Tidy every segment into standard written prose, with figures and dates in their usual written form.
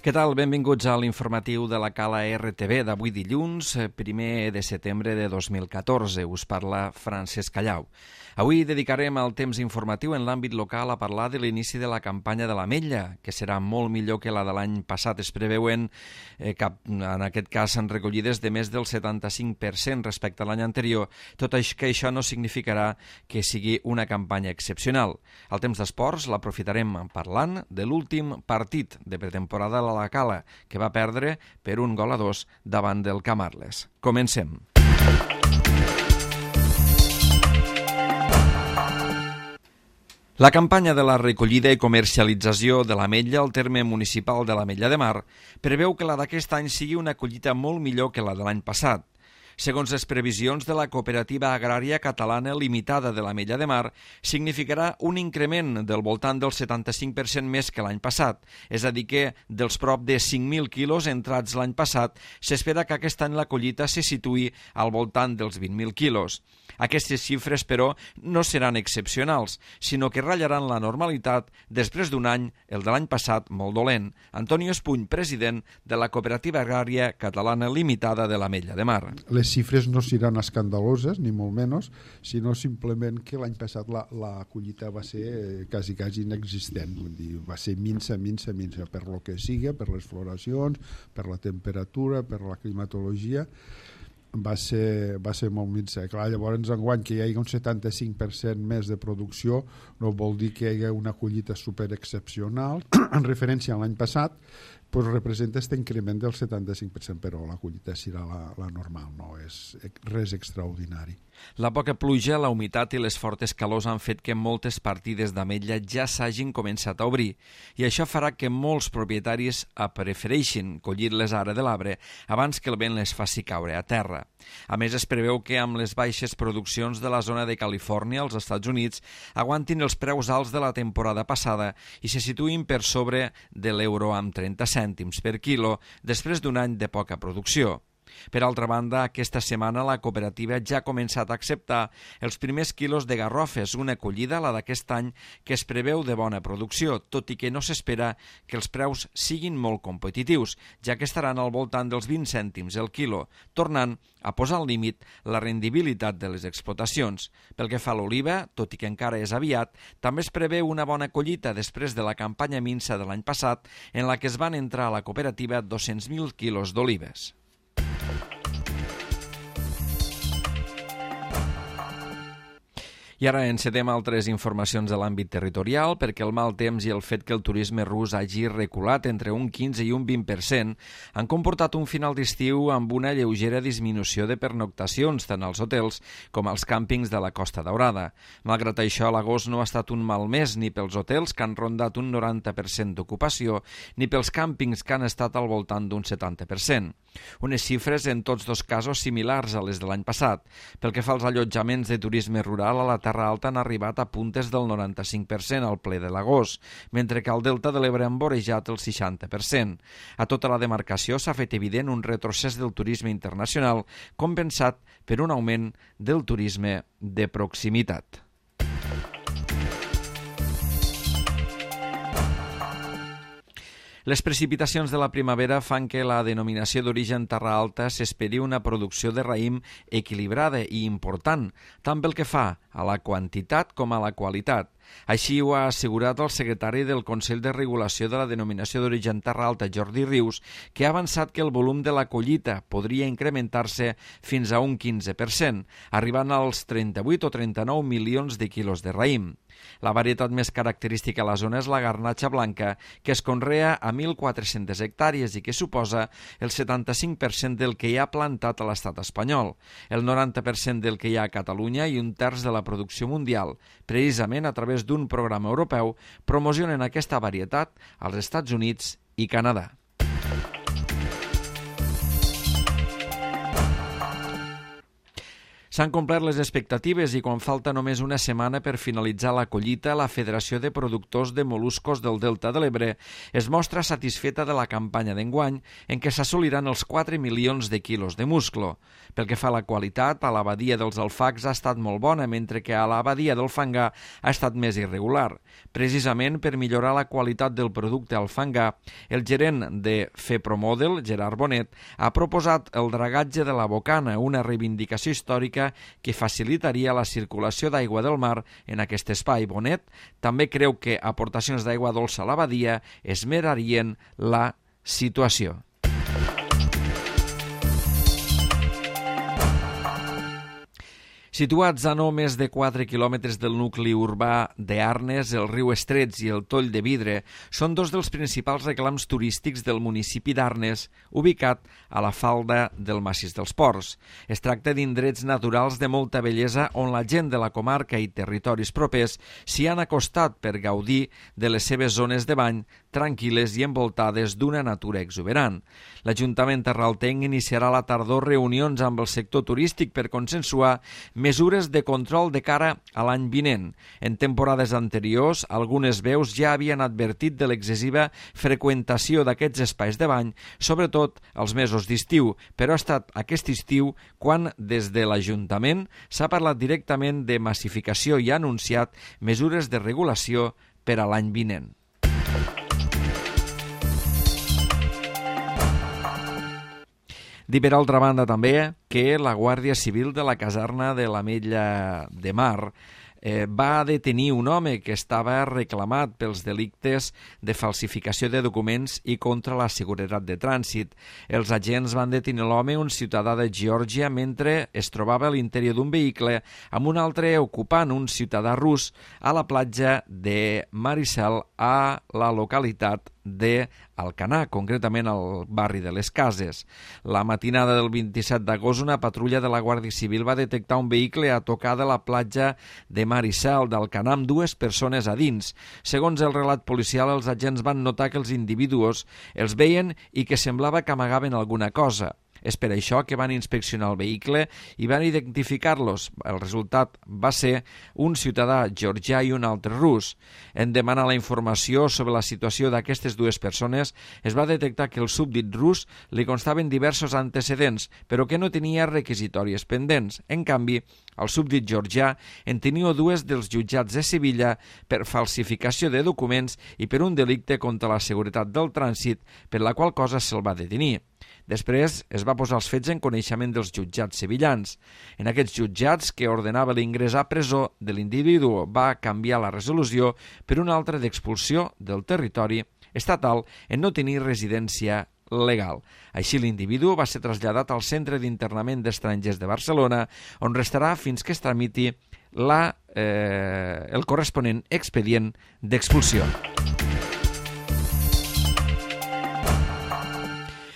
Què tal? Benvinguts a l'informatiu de la Cala RTV d'avui dilluns, 1 de setembre de 2014. Us parla Francesc Callau. Avui dedicarem el temps informatiu en l'àmbit local a parlar de l'inici de la campanya de l'ametlla, que serà molt millor que la de l'any passat. Es preveuen, en aquest cas, recollides de més del 75% respecte a l'any anterior, tot i que això no significarà que sigui una campanya excepcional. El temps d'esports l'aprofitarem parlant de l'últim partit de pretemporada a la Cala, que va perdre per 1-2 davant del Camarles. Comencem. La campanya de la recollida i comercialització de l'ametlla al terme municipal de l'Ametlla de Mar preveu que la d'aquest any sigui una collita molt millor que la de l'any passat. Segons les previsions de la Cooperativa Agrària Catalana Limitada de l'Ametlla de Mar, significarà un increment del voltant del 75% més que l'any passat, és a dir que dels prop de 5.000 quilos entrats l'any passat, s'espera que aquest any la collita se situï al voltant dels 20.000 quilos. Aquestes xifres, però, no seran excepcionals, sinó que ratllaran la normalitat després d'un any, el de l'any passat, molt dolent. Antonio Espuny, president de la Cooperativa Agrària Catalana Limitada de l'Ametlla de Mar. Les xifres no seran escandaloses, ni molt menys, sinó simplement que l'any passat la collita va ser quasi inexistent, vull dir, va ser minsa, per lo que sigui, per les floracions, per la temperatura, per la climatologia, va ser molt minsa. Clar, llavors enguany que hi hagi un 75% més de producció no vol dir que hi hagi una collita superexcepcional. En referència a l'any passat, pues representa aquest increment del 75%, però la collita serà la normal, no és res extraordinari. La poca pluja, la humitat i les fortes calors han fet que moltes partides d'ametlla ja s'hagin començat a obrir i això farà que molts propietaris prefereixin collir-les ara de l'arbre abans que el vent les faci caure a terra. A més, es preveu que amb les baixes produccions de la zona de Califòrnia als Estats Units aguantin els preus alts de la temporada passada i se situïn per sobre de l'euro amb 30 cèntims per quilo després d'un any de poca producció. Per altra banda, aquesta setmana la cooperativa ja ha començat a acceptar els primers quilos de garrofes, una collida, la d'aquest any, que es preveu de bona producció, tot i que no s'espera que els preus siguin molt competitius, ja que estaran al voltant dels 20 cèntims el quilo, tornant a posar al límit la rendibilitat de les explotacions. Pel que fa a l'oliva, tot i que encara és aviat, també es preveu una bona collita després de la campanya minsa de l'any passat, en la que es van entrar a la cooperativa 200.000 quilos d'olives. I ara encetem altres informacions de l'àmbit territorial perquè el mal temps i el fet que el turisme rus hagi reculat entre un 15 i un 20% han comportat un final d'estiu amb una lleugera disminució de pernoctacions tant als hotels com als càmpings de la Costa Daurada. Malgrat això, l'agost no ha estat un mal mes ni pels hotels, que han rondat un 90% d'ocupació, ni pels càmpings, que han estat al voltant d'un 70%. Unes xifres en tots dos casos similars a les de l'any passat. Pel que fa als allotjaments de turisme rural, a la Terra Alta han arribat a puntes del 95% al ple de l'agost, mentre que al Delta de l'Ebre han vorejat el 60%. A tota la demarcació s'ha fet evident un retrocés del turisme internacional compensat per un augment del turisme de proximitat. Les precipitacions de la primavera fan que la denominació d'origen Terra Alta s'esperi una producció de raïm equilibrada i important, tant pel que fa a la quantitat com a la qualitat. Així ho ha assegurat el secretari del Consell de Regulació de la Denominació d'Origen Terra Alta, Jordi Rius, que ha avançat que el volum de la collita podria incrementar-se fins a un 15%, arribant als 38 o 39 milions de quilos de raïm. La varietat més característica a la zona és la garnatxa blanca, que es conrea a 1.400 hectàrees i que suposa el 75% del que hi ha plantat a l'estat espanyol, el 90% del que hi ha a Catalunya i un terç de la producció mundial. Precisament a través d'un programa europeu promocionen aquesta varietat als Estats Units i Canadà. S'han complert les expectatives i quan falta només una setmana per finalitzar la collita, la Federació de Productors de Mol·luscos del Delta de l'Ebre es mostra satisfeta de la campanya d'enguany en què s'assoliran els 4 milions de quilos de musclo. Pel que fa a la qualitat, a la badia dels alfacs ha estat molt bona, mentre que a la badia del fangar ha estat més irregular. Precisament per millorar la qualitat del producte al fangar, el gerent de FEPROMODEL, Gerard Bonet, ha proposat el dragatge de la bocana, una reivindicació històrica que facilitaria la circulació d'aigua del mar en aquest espai. Bonet també creu que aportacions d'aigua dolça a la badia esmerarien la situació. Situats a no més de 4 quilòmetres del nucli urbà d'Arnes, el riu Estrets i el Toll de Vidre són dos dels principals reclams turístics del municipi d'Arnes, ubicat a la falda del Massís dels Ports. Es tracta d'indrets naturals de molta bellesa on la gent de la comarca i territoris propers s'hi han acostat per gaudir de les seves zones de bany tranquil·les i envoltades d'una natura exuberant. L'Ajuntament arraltenc iniciarà a la tardor reunions amb el sector turístic per consensuar mesures de control de cara a l'any vinent. En temporades anteriors, algunes veus ja havien advertit de l'excessiva freqüentació d'aquests espais de bany, sobretot als mesos d'estiu, però ha estat aquest estiu quan des de l'Ajuntament s'ha parlat directament de massificació i ha anunciat mesures de regulació per a l'any vinent. Dir per altra banda també que la Guàrdia Civil de la caserna de l'Ametlla de Mar va detenir un home que estava reclamat pels delictes de falsificació de documents i contra la seguretat de trànsit. Els agents van detenir l'home, un ciutadà de Geòrgia, mentre es trobava a l'interior d'un vehicle amb un altre ocupant, un ciutadà rus, a la platja de Maricel, a la localitat d'Alcanar, concretament al barri de les Cases. La matinada del 27 d'agost, una patrulla de la Guàrdia Civil va detectar un vehicle a tocar de la platja de Maricel d'Alcanar amb 2 persones a dins. Segons el relat policial, els agents van notar que els individus els veien i que semblava que amagaven alguna cosa. És per això que van inspeccionar el vehicle i van identificar-los. El resultat va ser un ciutadà georgià i un altre rus. En demanar la informació sobre la situació d'aquestes 2 persones, es va detectar que el súbdit rus li constaven diversos antecedents, però que no tenia requisitòries pendents. En canvi, el súbdit georgià en tenia 2 dels jutjats de Sevilla per falsificació de documents i per un delicte contra la seguretat del trànsit, per la qual cosa se'l va detenir. Després es va posar els fets en coneixement dels jutjats sevillans. En aquests jutjats, que ordenava l'ingrés a presó de l'individu, va canviar la resolució per una altra d'expulsió del territori estatal en no tenir residència legal. Així, l'individu va ser traslladat al Centre d'Internament d'Estrangers de Barcelona, on restarà fins que es tramiti el corresponent expedient d'expulsió.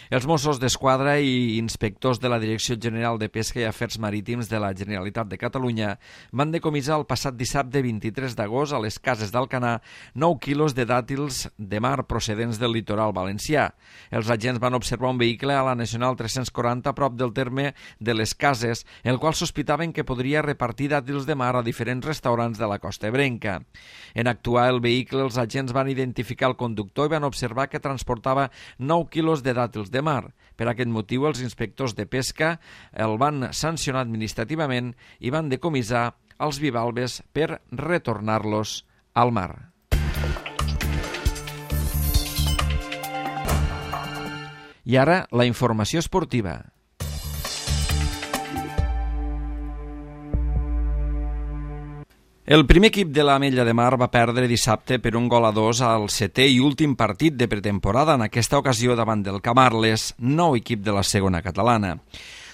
Els Mossos d'Esquadra i inspectors de la Direcció General de Pesca i Afers Marítims de la Generalitat de Catalunya van decomissar el passat dissabte 23 d'agost a les Cases d'Alcanar 9 quilos de dàtils de mar procedents del litoral valencià. Els agents van observar un vehicle a la Nacional 340 a prop del terme de les Cases, el qual sospitaven que podria repartir dàtils de mar a diferents restaurants de la costa ebrenca. En actuar el vehicle, els agents van identificar el conductor i van observar que transportava 9 quilos de dàtils de mar. Per aquest motiu, els inspectors de pesca el van sancionar administrativament i van decomissar els bivalves per retornar-los al mar. I ara, la informació esportiva. El primer equip de l'Ametlla de Mar va perdre dissabte per 1-2 al 7è i últim partit de pretemporada, en aquesta ocasió davant del Camarles, nou equip de la segona catalana.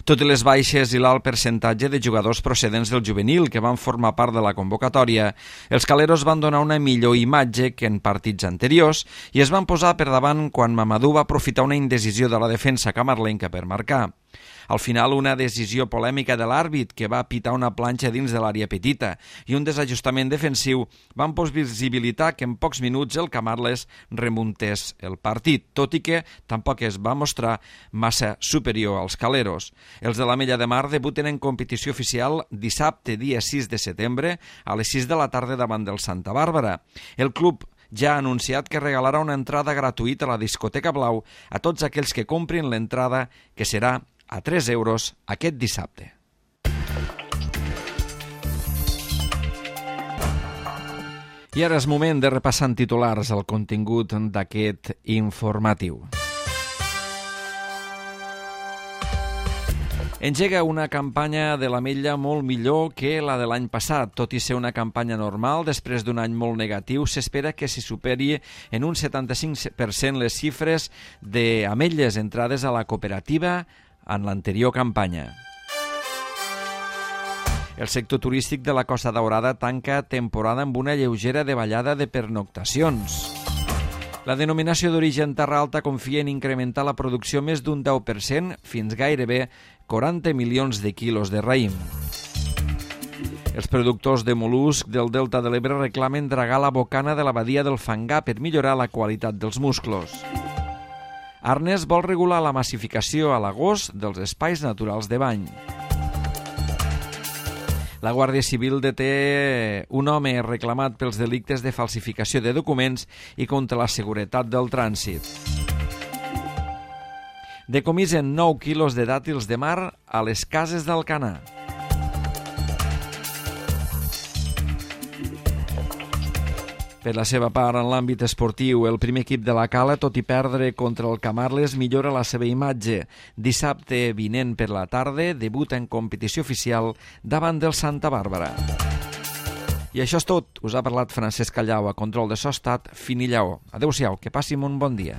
Tot i les baixes i l'alt percentatge de jugadors procedents del juvenil que van formar part de la convocatòria, els caleros van donar una millor imatge que en partits anteriors i es van posar per davant quan Mamadou va aprofitar una indecisió de la defensa camarlenca per marcar. Al final, una decisió polèmica de l'àrbit que va pitar una planxa dins de l'àrea petita i un desajustament defensiu van possibilitar que en pocs minuts el Camarles remuntés el partit, tot i que tampoc es va mostrar massa superior als caleros. Els de l'Ametlla de Mar debuten en competició oficial dissabte, dia 6 de setembre, a les 6 de la tarda davant del Santa Bàrbara. El club ja ha anunciat que regalarà una entrada gratuïta a la discoteca Blau a tots aquells que comprin l'entrada, que serà a 3 euros aquest dissabte. I ara és moment de repassar en titulars el contingut d'aquest informatiu. Engega una campanya de l'Ametlla molt millor que la de l'any passat. Tot i ser una campanya normal, després d'un any molt negatiu, s'espera que s'hi superi en un 75% les xifres d'ametlles entrades a la cooperativa en l'anterior campanya. El sector turístic de la Costa Daurada tanca temporada amb una lleugera davallada de pernoctacions. La denominació d'origen Terra Alta confia en incrementar la producció més d'un 10%, fins gairebé 40 milions de quilos de raïm. Els productors de mol·lusc del Delta de l'Ebre reclamen dragar la bocana de la badia del Fangar per millorar la qualitat dels musclos. Arnes vol regular la massificació a l'agost dels espais naturals de bany. La Guàrdia Civil deté un home reclamat pels delictes de falsificació de documents i contra la seguretat del trànsit. Decomisen 9 quilos de dàtils de mar a les cases d'Alcanar. Per la seva part, en l'àmbit esportiu, el primer equip de la Cala, tot i perdre contra el Camarles, millora la seva imatge. Dissabte vinent per la tarda, debuta en competició oficial davant del Santa Bàrbara. I això és tot. Us ha parlat Francesc Callau, a control de so estat Fini Lleó. Adéu-siau, que passin un bon dia.